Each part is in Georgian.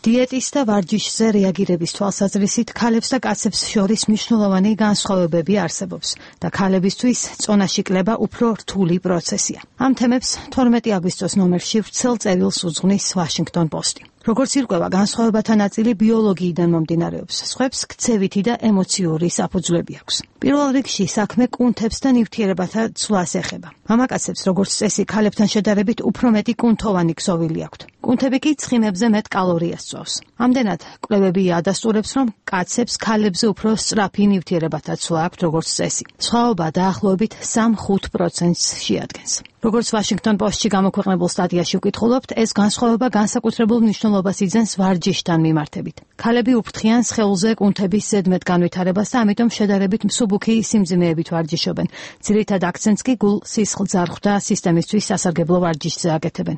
დიეტის და ვარჯიშზე რეაგირების თვალსაზრისით ქალებს და კაცებს შორის მნიშვნელოვანი განსხვავებები არსებობს და ქალებისთვის წონაში კლება უფრო რთული პროცესია. ამ თემებს 12 აგვისტოს ნომერში ვრცელ წერილს უძღვნის Washington Post-ი. როგორც ირკვევა, განსხვავებათა ნაწილი ბიოლოგიიდან მომდინარეობს, სხვებს ქცევითი და ემოციური საფუძვლები აქვს. პირველ რიგში საქმე კუნთებს და ნივთიერებათა ცვლას ეხება. მამაკაცებს, როგორც წესი, ქალებთან შედარებით უფრო მეტი კუნთოვანი ქსოვილი აქვთ. კუნთები კი ცხიმებზე მეტ კალორიას წვავს. ამდენად, კვლევები ადასტურებს, რომ კაცებს ქალებზე უფრო სწრაფი ნივთიერებათა ცვლა აქვთ, როგორც წესი. სხვაობა დაახლოებით 3-5%-ს შეადგენს. როგორც Washington Post-ში გამოქვეყნებულ სტატიაში ვკითხულობთ, ეს განსხვავება განსაკუთრებულ მნიშვნელობას იძენს ვარჯიშთან მიმართებით. ქალები უფრთხიან სხეულზე კუნთების ზედმეტ განვითარებას და ამიტომ შედარებით მსუბუქი სიმძიმეებით ვარჯიშობენ. ძირითად აქცენტს კი გულ-სისხლძარღვ და სისტემისთვის სასარგებლო ვარჯიშზე აკეთებენ.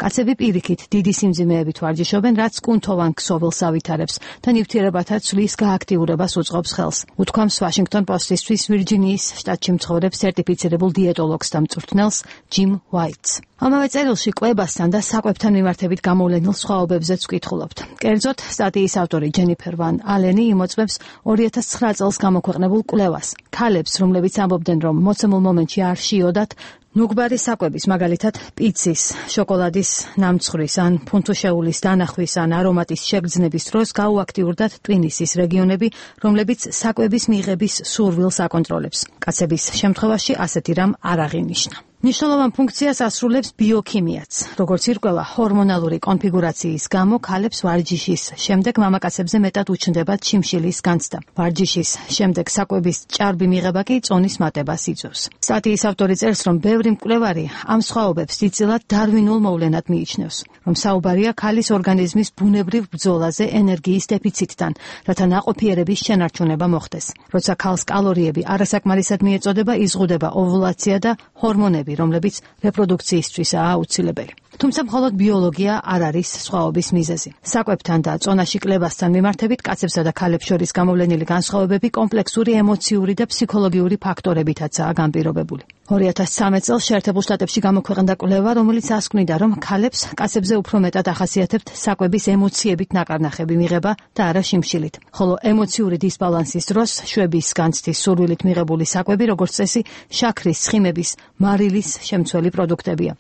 კაცები პირიქით დიდი სიმძიმეებით ვარჯიშობენ, რაც კუნთოვან ქსოვილს ავითარებს და ნივთიერებათა ცვლის გააქტიურებას უწყობს ხელს. უთქვამს Washington Post-ისთვის ვირჯინიის შტატში მცხოვრებ სერტიფიცირებულ დიეტოლოგს და მწვრთნელს Jim White. ამავე წერილში კვებასთან და საკვებთან მიმართებით გამოვლენილ სხვაობებზეც ვკითხულობთ. კერძოდ, სტატიის ავტორი Jennifer Van Allen იმოწმებს 2009 წელს გამოქვეყნებულ კვლევას. ქალებს, რომლებიც ამბობდნენ, რომ მოცემულ მომენტში არ შიოდათ, ნუგბარი საკვების, მაგალითად, პიცის, შოკოლადის ნამცხვრის ან ფუნთუშეულის დანახვის ან არომატის შეგრძნების დროს გაუაქტიურდათ ტვინისის რეგიონები, რომლებიც საკვების მიღების სურვილს აკონტროლებს. კაცების შემთხვევაში ასეთი რამ არ აღინიშნა. მნიშვნელოვან ფუნქციას ასრულებს ბიოქიმიაც. როგორც ირკვევა, ჰორმონალური კონფიგურაციის გამო ქალებს ვარჯიშის შემდეგ მამაკაცებზე მეტად უჩნდებათ შიმშილის განცდა. ვარჯიშის შემდეგ საკვების ჭარბი მიღება კი წონის მატებას იწვევს. სტატიის ავტორი წერს, რომ ბევრი მკვლევარი ამ სხვაობებს დიდწილად დარვინულ მოვლენად მიიჩნევს, რომ საუბარია ქალის ორგანიზმის ბუნებრივ ბრძოლაზე ენერგიის დეფიციტთან, რათა ნაყოფიერების შენარჩუნება მოხდეს. როცა ქალს კალორიები არასაკმარისად მიეწოდება, იზღუდება ოვულაცია და ჰორმონები, რომლებიც რეპროდუქციისთვისაა აუცილებელი. თუმცა მხოლოდ ბიოლოგია არ არის სხვაობის მიზეზი. საკვებთან და წონაში კლებასთან მიმართებით კაცებსა და ქალებს შორის გამოვლენილი განსხვავებები კომპლექსური ემოციური და ფსიქოლოგიური ფაქტორებითაცაა განპირობებული. 2013 წელს შეერთებულ შტატებში გამოქვეყნდა კვლევა, რომელიც ასკვნიდა, რომ ქალებს კაცებზე უფრო მეტად ახასიათებთ საკვების ემოციებით ნაკარნახები მიღება და არა შიმშილით. ხოლო ემოციური დისბალანსის დროს შვების განცდის სურვილით მიღებული საკვები, როგორც წესი, შაქრის, ცხიმების, მარილის შემცველი პროდუქტებია.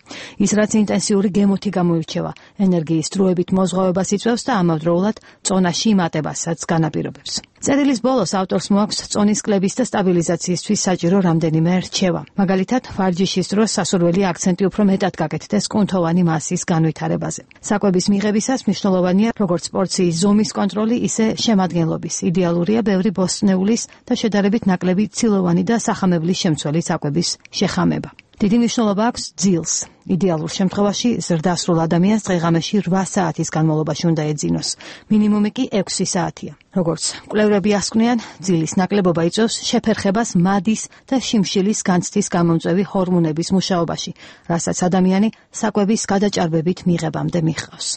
ის რაც ინტენსიური გემოთი გამოირჩევა, ენერგიის დროებით მოზღვავებას იწვევს და ამავდროულად წონაში იმატებასაც განაპირობებს. წერილის ბოლოს ავტორს მოაქვს წონის კლების და სტაბილიზაციისთვის საჭირო რამდენიმე რჩევა. მაგალითად, ვარჯიშის დროს სასურველი აქცენტი უფრო მეტად გაკეთდეს კუნთოვანი მასის განვითარებაზე. საკვების მიღებისას მნიშვნელოვანია როგორც პორციის ზომის კონტროლი, ისე შემადგენლობის. იდეალურია ბევრი ბოსტნეულის და შედარებით ნაკლები ცილოვანი და სახამებლის შემცველი საკვების შეხამება. დიდი მნიშვნელობა აქვს ძილს. იდეალურ შემთხვევაში ზრდასრულ ადამიანს დღეღამეში 8 საათის განმავლობაში უნდა ეძინოს. მინიმუმი კი 6 საათია. როგორც კვლევრები ასკვნიან, ძილის ნაკლებობა იწვევს შეფერხებას მადის და შიმშილის განცდის გამომწვევი ჰორმონების მუშაობაში, რასაც ადამიანი საკვების გადაჭარბებით მიღებამდე მიჰყავს.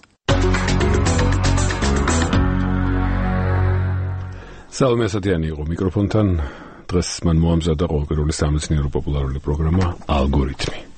სალომე ასათიანი იყო მიკროფონთან. დღეს მან მოამზადა ყოველკვირეული სამეცნიერო პოპულარული პროგრამა ალგორითმი.